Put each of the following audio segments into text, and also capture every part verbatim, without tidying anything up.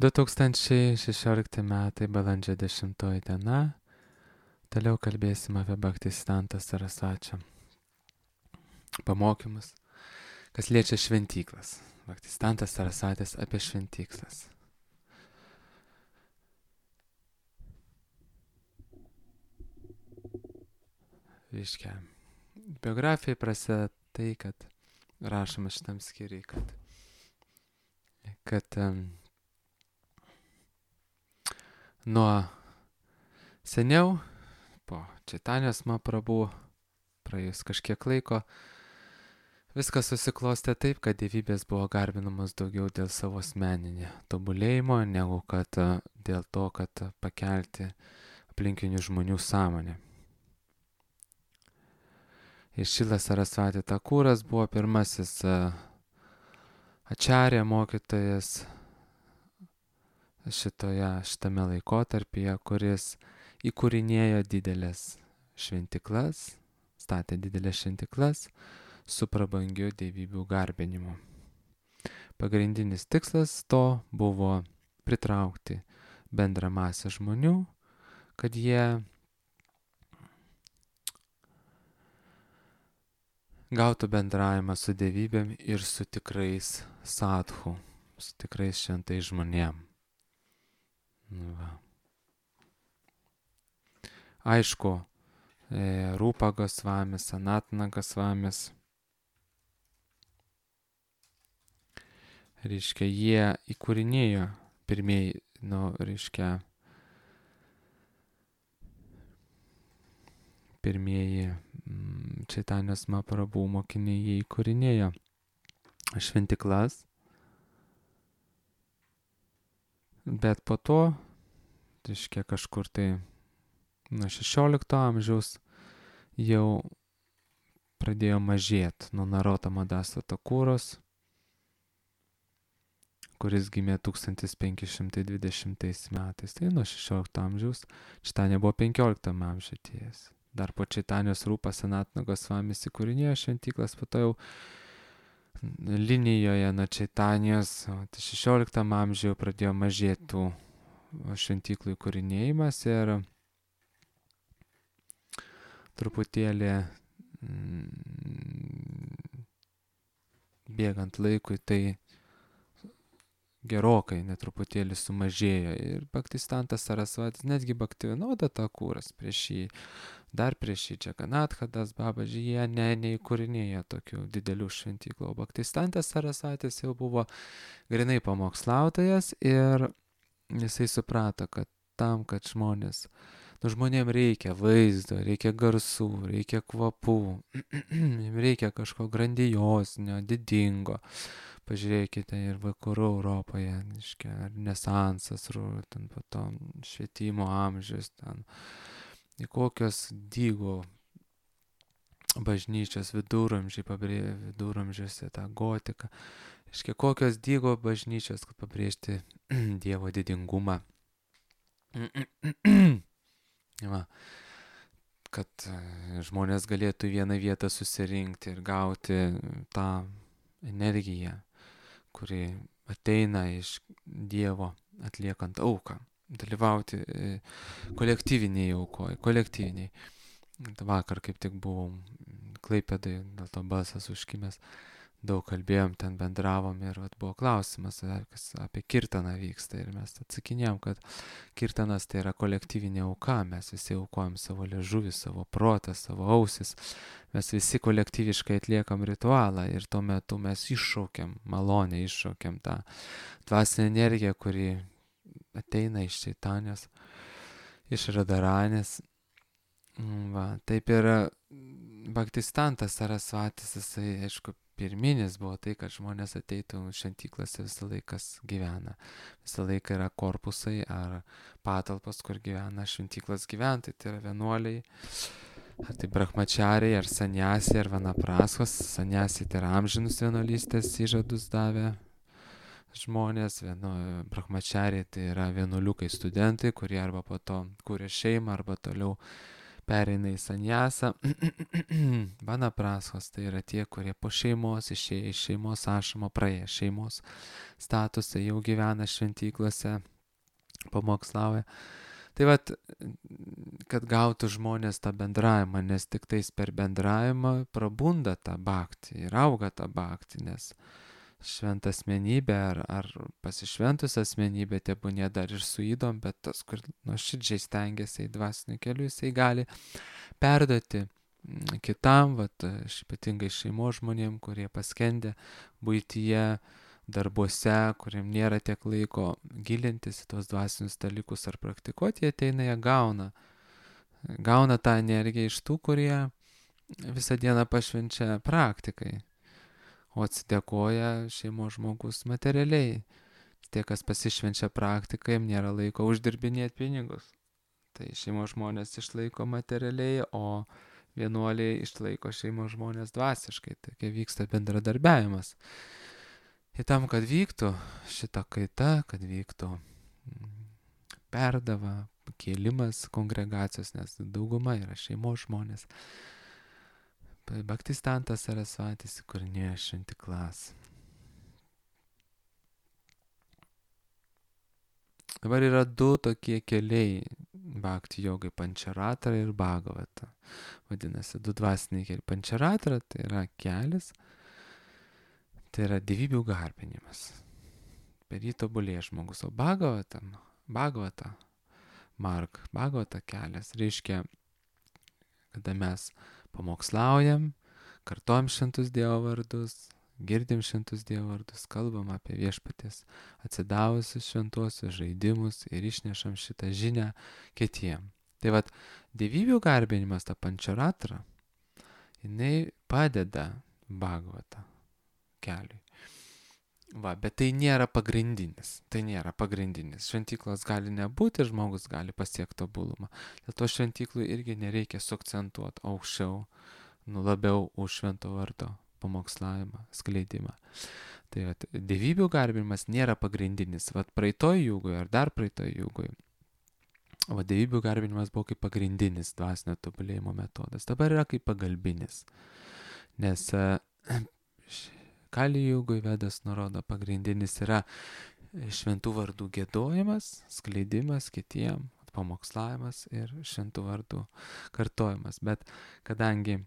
du tūkstančiai šešiolikti metai, balandžio dešimtoji diena. Toliau kalbėsim apie Bhaktisiddhanta Sarasvačio pamokymus, kas liečia šventyklas. Bhaktisiddhantas Sarasvatis apie šventyklas. Reiškia, biografija prasideda tai, kad rašoma šitam skyriui, kad, kad um, nuo seniau, po Čaitanijos Mahaprabhu, praėjus kažkiek laiko, viskas susiklostė taip, kad dievybės buvo garbinamos daugiau dėl savo asmeninio tobulėjimo, negu kad dėl to, kad pakelti aplinkinių žmonių sąmonę. Ir Šilas Sarasvati Takūras buvo pirmasis ačarė mokytojas šitoje, šitame laikotarpyje, kuris įkūrinėjo didelės šventiklas, statė didelės šventiklas su prabangiu dievybių garbinimu. Pagrindinis tikslas to buvo pritraukti bendrą masę žmonių, kad jie gautų bendravimą su dievybėm ir su tikrais sadhu, su tikrais šventais žmonėm. Nu va. Aišku, e, Rūpa Gosvamis, Sanatana Gosvamis, reiškia, jie įkūrinėjo pirmieji, nu, reiškia, pirmieji mm, Čaitanijos Mahaprabhu mokiniai, jie įkūrinėjo šventiklas, bet po to, reiškia, kažkur tai nuo šešiolikto amžiaus jau pradėjo mažėti nuo Narottamo Daso Takūros, kuris gimė tūkstantis penki šimtai dvidešimtais metais. Tai nuo šešiolikto amžiaus, Čaitanija buvo penkioliktam amžiuje atėjęs. Dar po Čaitanijos Rūpa Sanatana Gosvamis įkūrinėjo šventyklas, po to jau linijoje nuo Čaitanijos šešioliktam amžiuje pradėjo mažėti tų šventyklų įkūrinėjimas ir truputėlį mm, bėgant laikui tai gerokai netruputėlį sumažėjo ir Bhaktisiddhantas Sarasvatis, netgi Bhaktivinoda Takūras prieš jį, dar prieš jį Džaganathadas Babaji, jie ne, neįkūrinėjo tokių didelių šventyklų, o Bhaktisiddhantas Sarasvatis jau buvo grinai pamokslautojas ir jisai suprato, kad tam, kad žmonės, nu žmonėm reikia vaizdo, reikia garsų, reikia kvapų, reikia kažko grandiozinio, didingo. Pažiūrėkite ir vakarų Europoje, reiškia, Renesansas, ten po to švietimo amžius, ten kokios dygo bažnyčios viduramžiai, pabrė, viduramžiuose tą gotiką, reiškia, kokios dygo bažnyčios, kad pabrėžti Dievo didingumą. Va, kad žmonės galėtų į vieną vietą susirinkti ir gauti tą energiją, kuri ateina iš Dievo atliekant auką, dalyvauti kolektyviniai aukoje, kolektyviniai. Vakar kaip tik buvau Klaipėdai, dėl to balsas užkimęs, daug kalbėjom, ten bendravom ir vat, buvo klausimas, kas apie kirtaną vyksta ir mes atsakinėjom, kad kirtanas tai yra kolektyvinė auka, mes visi aukojam savo liežuvį, savo protą, savo ausis, mes visi kolektyviškai atliekam ritualą ir tuo metu mes iššaukiam malonę, iššaukiam tą dvasinę energiją, kuri ateina iš Čaitanijos, iš Radaranės. Va, taip ir Bhaktisiddhantas Sarasvatis, jisai, aišku, pirminis buvo tai, kad žmonės ateitų šventyklose visą laiką gyvena. Visą laiką yra korpusai ar patalpos, kur gyvena šventyklos gyventojai, tai yra vienuoliai, ar tai brahmachariai, ar sanyasiai, ar vanapraskos. Sanyasiai tai yra amžinus vienuolystės įžadus davę žmonės, vienu, brahmachariai tai yra vienuoliukai studentai, kurie arba po to kūrė šeimą, arba toliau pereina į sanjasą. Vanaprasos tai yra tie, kurie po šeimos išėję iš šeimos ašamo, praėję šeimos statusą, jau gyvena šventyklose, pamokslauja. Tai vat, kad gautų žmonės tą bendravimą, nes tik tais per bendravimą prabunda tą bhaktį ir auga tą bhaktį, nes šventą asmenybę ar, ar pasišventus asmenybę, tebūnie dar ir su ydom, bet tas, kur nuoširdžiai stengiasi į dvasinių kelių, jisai gali perduoti kitam, vat, ypatingai šeimos žmonėm, kurie paskendė buityje, darbuose, kuriem nėra tiek laiko gilintis į tos dvasinius dalykus ar praktikuoti, jie ateina, jie gauna. Gauna tą energiją iš tų, kurie visą dieną pašvenčia praktikai, o atsidėkoja šeimos žmogus materialiai. Tie, kas pasišvenčia praktikai, jiems nėra laiko uždirbinėti pinigus. Tai šeimos žmonės išlaiko materialiai, o vienuoliai išlaiko šeimos žmonės dvasiškai. Tokia vyksta bendradarbiavimas. Ir tam, kad vyktų šita kaita, kad vyktų perdava, kėlimas kongregacijos, nes dauguma yra šeimos žmonės. Bhaktistantas Sarasvatis įkūrinėjo šventyklas. Dabar yra du tokie keliai bhakti jogai, pančaratra ir bhagavata. Vadinasi, du dvasiniai keliai. Pančaratra tai yra kelias, tai yra dievybių garbinimas. Per jį tobulėja žmogus. O bhagavata, bhagavata, marg, bhagavata kelias reiškia, kada mes pamokslaujam, kartojam šventus Dievo vardus, girdim šventus Dievo vardus, kalbam apie viešpaties atsidavusius šventuosius žaidimus ir išnešam šitą žinią kitiem. Tai vat, dievybių garbinimas, ta pančaratra, jinai padeda bhagavata keliui. Va, bet tai nėra pagrindinis, tai nėra pagrindinis. Šventyklos gali nebūti, žmogus gali pasiekti tobulumą. Dėl to šventyklų irgi nereikia suakcentuoti aukščiau, nu labiau už švento vardo pamokslavimą, skleidimą. Tai vat, dievybių garbinimas nėra pagrindinis. Vat praeitoj jūgoje ar dar praeitoj jūgoje, o dievybių garbinimas buvo kaip pagrindinis dvasinio tobulėjimo metodas. Dabar yra kaip pagalbinis. Nes Kali jūgui Vedas nurodo, pagrindinis yra šventų vardų giedojimas, skleidimas kitiem, pamokslavimas ir šventų vardų kartojimas. Bet kadangi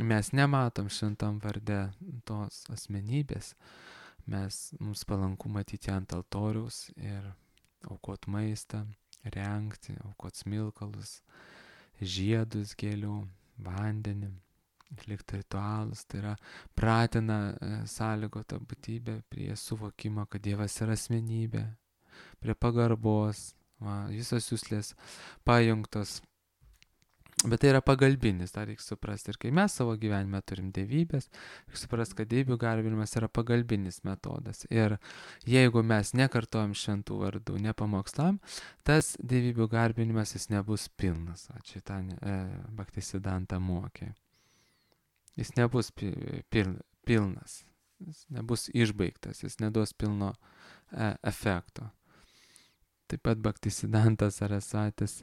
mes nematom šventam varde tos asmenybės, mes, mums palanku matyti ant altoriaus ir aukot maistą, rengti, aukot smilkalus, žiedus gėlių, vandenį, atlikti ritualus, tai yra pratina sąlygotą būtybę prie suvokimo, kad Dievas yra asmenybė, prie pagarbos, va, visos juslės pajungtos. Bet tai yra pagalbinis, tą reikia suprasti. Ir kai mes savo gyvenime turim dievybės, reikia suprasti, kad dievybių garbinimas yra pagalbinis metodas. Ir jeigu mes nekartojam šventų vardų, nepamokslam, tas dievybių garbinimas jis nebus pilnas. Ačiū tą e, Bhaktisiddhanta mokė. Jis nebus pil, pilnas, jis nebus išbaigtas, jis neduos pilno e, efekto. Taip pat Bhaktisiddhantas Sarasvatis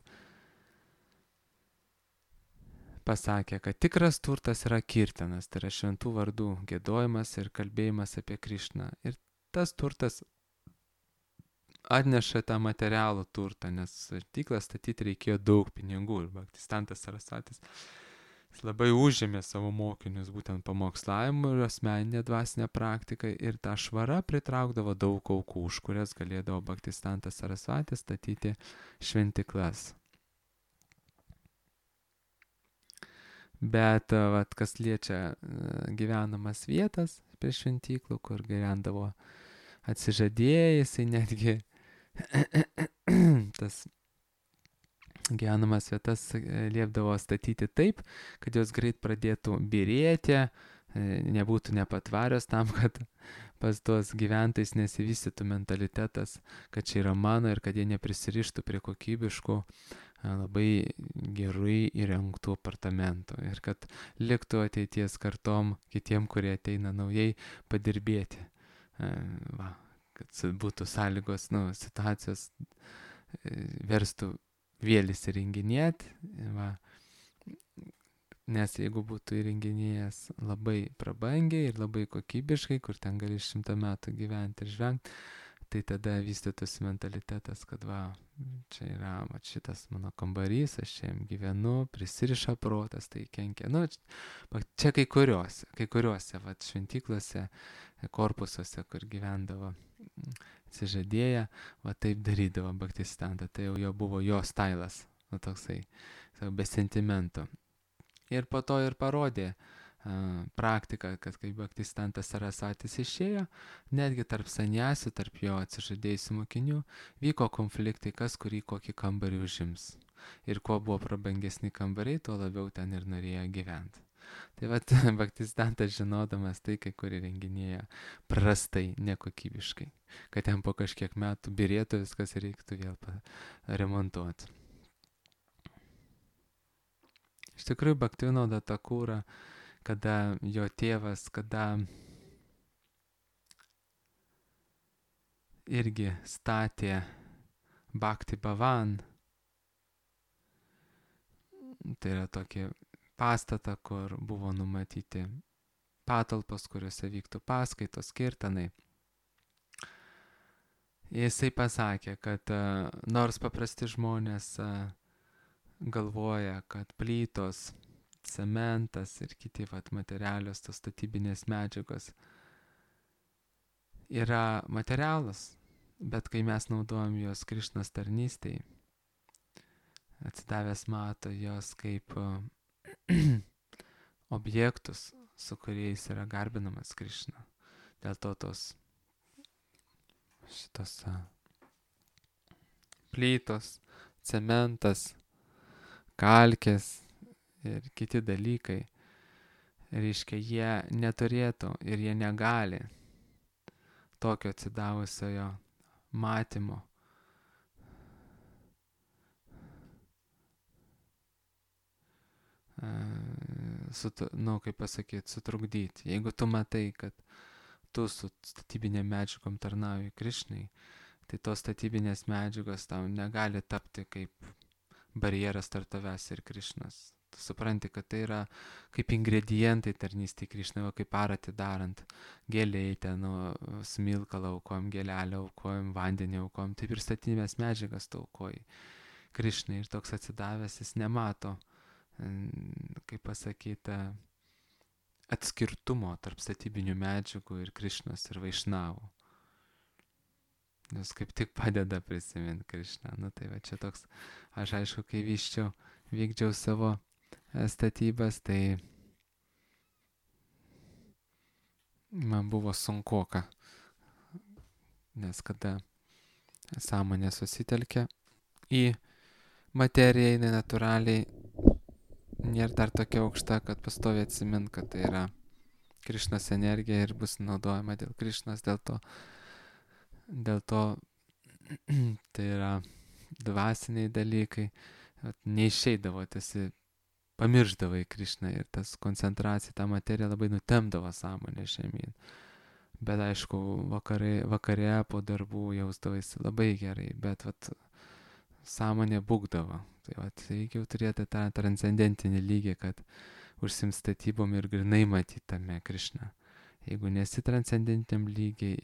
pasakė, kad tikras turtas yra kirtanas, tai yra šventų vardų giedojimas ir kalbėjimas apie Krišną. Ir tas turtas atneša tą materialų turtą, nes šventyklą statyti reikėjo daug pinigų. Ir Bhaktisiddhantas Sarasvatis labai užėmė savo mokinius būtent pamokslavimą ir asmeninę dvasinę praktiką, ir tą švarą pritraukdavo daug aukų, už kurias galėdavo Bhaktisiddhantas Sarasvatis statyti šventyklas. Bet vat, kas liečia gyvenamas vietas prie šventyklų, kur gyvendavo atsižadėjai, jisai netgi tas gyvenamas vietas liepdavo statyti taip, kad jos greit pradėtų byrėti, nebūtų nepatvarios, tam, kad pas tuos gyventojus nesivystytų mentalitetas, kad čia yra mano, ir kad jie neprisirištų prie kokybiškų, labai gerai įrengtų apartamentų, ir kad liktų ateities kartom kitiem, kurie ateina naujai, padirbėti. Va, kad būtų sąlygos, nu, situacijos verstų vėl įsirenginėti. Va. Nes jeigu būtų įrenginėjęs labai prabangiai ir labai kokybiškai, kur ten gali šimtą metų gyventi ir žvengti, tai tada vystytųsi mentalitetas, kad va, čia yra va, šitas mano kambarys, aš čia jam gyvenu, prisiriša protas, tai kenkia. Nu, čia kai kuriuose, kai kuriuose va, šventyklose, korpusuose, kur gyvendavo atsižadėję, va taip darydavo Baktistanta, tai jau jo buvo jo stailas, nu toksai, be sentimento. Ir po to ir parodė uh, praktiką, kad kai Baktistantas Sarasatis išėjo, netgi tarp saniasių, tarp jo atsižadėjusių mokinių, vyko konfliktai, kas kurį kokį kambarį užims. Ir kuo buvo prabangesni kambariai, tuo labiau ten ir norėjo gyventi. Tai vat Baktistantas žinodamas tai, kai kurį renginėja prastai, nekokybiškai, kad ten po kažkiek metų birėtų viskas ir reiktų vėl remontuoti. Iš tikrųjų, Bhaktivinoda Thakura, kada jo tėvas, kada irgi statė Bhakti Bhavan, tai yra tokį pastatą, kur buvo numatyti patalpos, kuriuose vyktų paskaitos, kirtanai. Jisai pasakė, kad uh, nors paprasti žmonės uh, galvoja, kad plytos, cementas ir kiti vat, materialios tos statybinės medžiagos yra materialas, bet kai mes naudojam juos Krišnos tarnystėj, atsidavęs mato jos kaip uh, objektus, su kuriais yra garbinamas Krišna. Dėl to tos šitos uh, plytos, cementas, kalkės ir kiti dalykai, reiškia, jie neturėtų ir jie negali tokio atsidavusiojo matymo sut, nu, kaip pasakyti, sutrukdyti. Jeigu tu matai, kad tu su statybinėm medžiagom tarnauji Krišnai, tai tos statybinės medžiagos tau negali tapti kaip barjeras tarp tavęs ir Krišnos. Tu supranti, kad tai yra kaip ingredientai tarnystėj Krišnai, kaip arati darant. Gėliai ten, nu, smilkalą aukojam, gėlelę aukojam, vandenį aukojam, taip ir statybinės medžiagas tu aukoji Krišnai. Ir toks atsidavęs jis nemato, kaip pasakyta, atskirtumo tarp statybinių medžiagų ir Krišnos ir Vaišnavų. Nes kaip tik padeda prisiminti Krišną. Nu tai va čia toks, aš aišku, kai vyščiau, vykdžiau savo statybas, tai man buvo sunkoka. Nes kada sąmonė susitelkia į materiją, jinai natūraliai nėra dar tokia aukšta, kad pastoviai atsimint, kad tai yra Krišnos energija ir bus naudojama dėl Krišnos, dėl to Dėl to tai yra dvasiniai dalykai, neišeidavo, tiesi pamirždavai Krišną ir tas koncentracija, ta materija labai nutemdavo sąmonę žemyn. Bet aišku, vakare, vakare po darbų jausdavaisi labai gerai, bet vat, sąmonė būgdavo. Tai vat, reikia jau turėti tą transcendentinį lygį, kad užsiimt statybom ir grinai matyti tame Krišną. Jeigu nesi transcendentiniam lygiai,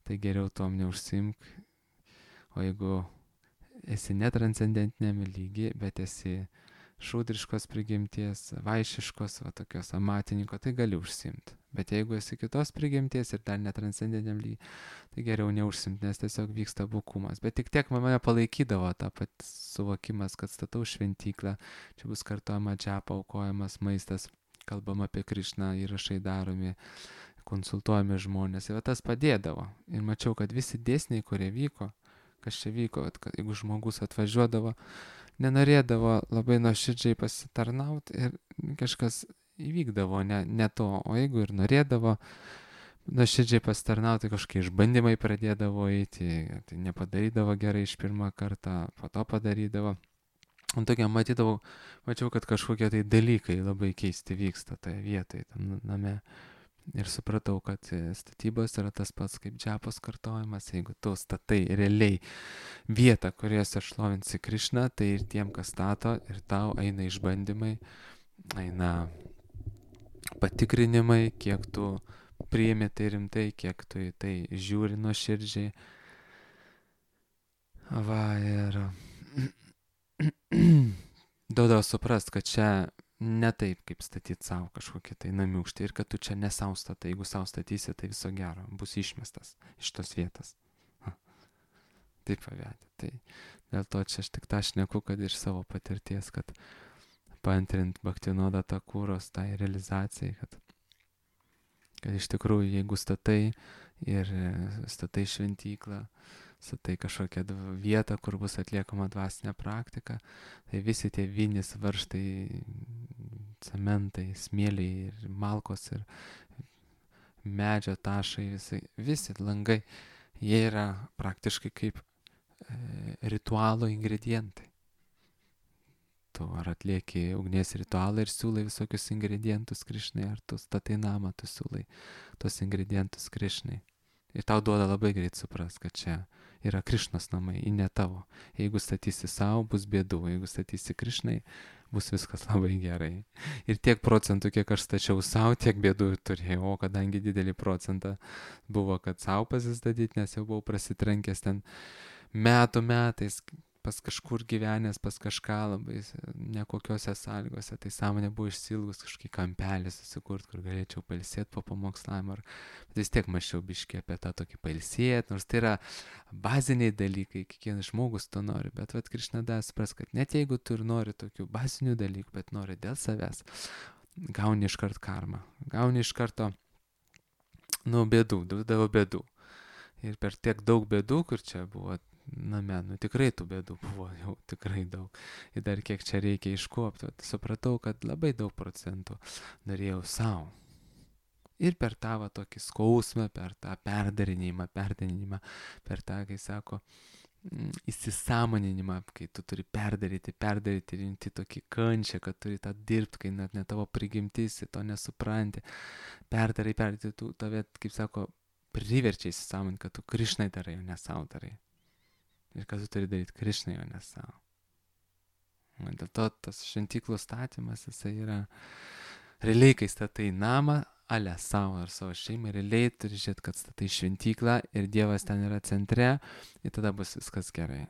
tai geriau tom neužsiimk, o jeigu esi netranscendentiniame lygiai, bet esi šūdriškos prigimties, vaišiškos, va tokios amatininko, tai gali užsiimti. Bet jeigu esi kitos prigimties ir dar netranscendentiniam lygiai, tai geriau neužsiimti, nes tiesiog vyksta bukumas. Bet tik tiek mane palaikydavo tą pat suvokimas, kad statau šventyklą, čia bus kartojama džapa, aukojamas maistas, kalbama apie Krišną, įrašai daromi, konsultuojami žmonės. Ir tas padėdavo. Ir mačiau, kad visi dėsniai, kurie vyko, kas čia vyko, kad jeigu žmogus atvažiuodavo, nenorėdavo labai nuoširdžiai pasitarnauti ir kažkas įvykdavo ne, ne to. O jeigu ir norėdavo nuoširdžiai pasitarnauti, kažkokie išbandymai pradėdavo eiti, tai nepadarydavo gerai iš pirmą kartą, po to padarydavo. O tokia matydavau, mačiau, kad kažkokie tai dalykai labai keisti vyksta toje vietoje, tam name. Ir supratau, kad statybos yra tas pats kaip džapos kartojimas, jeigu tu statai realiai vietą, kuriuose šlovinsi Krišną, tai ir tiem, kas stato, ir tau eina išbandymai, eina patikrinimai, kiek tu priimi tai rimtai, kiek tu į tai žiūri nuoširdžiai. Va ir duoda suprast, kad čia ne taip, kaip statyti savo kažkokį tai namiukštį ir kad tu čia ne savo statai, jeigu savo statysi, tai viso gero, bus išmestas iš tos vietos. Ha. Taip pavedė. Tai dėl to čia aš tik tą šneku, kad iš savo patirties, kad paantrint Bhaktinoda Thakuros tai realizacijai, kad, kad iš tikrųjų, jeigu statai ir statai šventyklą, statai kažkokią vietą, kur bus atliekama dvasinė praktika, tai visi tie vinis, varžtai, cementai, smėliai ir malkos ir medžio tašai, visi, visi langai, jie yra praktiškai kaip e, ritualo ingredientai. Tu ar atlieki ugnies ritualą ir siūlai visokius ingredientus Krišnai, ar tu statai namą, tu siūlai tos ingredientus Krišnai. Ir tau duoda labai greit supras, kad čia yra Krišnos namai, į ne tavo. Jeigu statysi savo, bus bėdų, jeigu statysi Krišnai, bus viskas labai gerai. Ir tiek procentų, kiek aš stačiau savo, tiek bėdų turėjau, o kadangi didelį procentą buvo, kad savo pasistatyti, nes jau buvau prasitrenkęs ten metų metais, pas kažkur gyvenęs, pas kažką labai nekokiose sąlygose, tai sąmonė buvo išsilgus kažkokį kampelį susikurt, kur galėčiau pailsėti po pamokslavimo, bet vis tiek mačiau biškį apie tą tokį pailsėti, nors tai yra baziniai dalykai, kiekvienas žmogus to nori, bet vat Krišna davė supras, kad net jeigu tu ir nori tokių bazinių dalykų, bet nori dėl savęs, gauni iš kart karmą, gauni iš karto, nu, bėdų, duodavo bėdų. Ir per tiek daug bėdų, kur čia buvo name, nu tikrai tų bėdų buvo jau tikrai daug. Ir dar kiek čia reikia iškuopti. Supratau, kad labai daug procentų norėjau savo. Ir per tą va, tokį skausmą, per tą perdarinimą, perdarinimą, per tą, kai sako, įsisąmoninimą, kai tu turi perdaryti, perdaryti, rimti tokį kančią, kad turi tą dirbti, kai net ne tavo prigimtis, to nesupranti. Perdarai, perdarai, tu tave, kaip sako, priverčia įsisąmoninti, kad tu Krišnai darai, o ne savo darai. Ir kad tu turi daryti Krišnai, o ne savo. Dėl to tas šventyklų statymas, jisai yra realiai, kai statai namą, ale savo ar savo šeimai, realiai turi žiūrėti, kad statai šventyklą ir Dievas ten yra centre ir tada bus viskas gerai.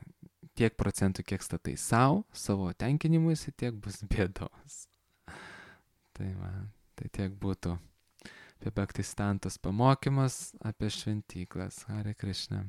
Tiek procentų, kiek statai savo, savo tenkinimuisi, tiek bus bėdos. Tai man, tai tiek būtų apie Bhaktistantos pamokymas, apie šventyklas. Hare Krishna.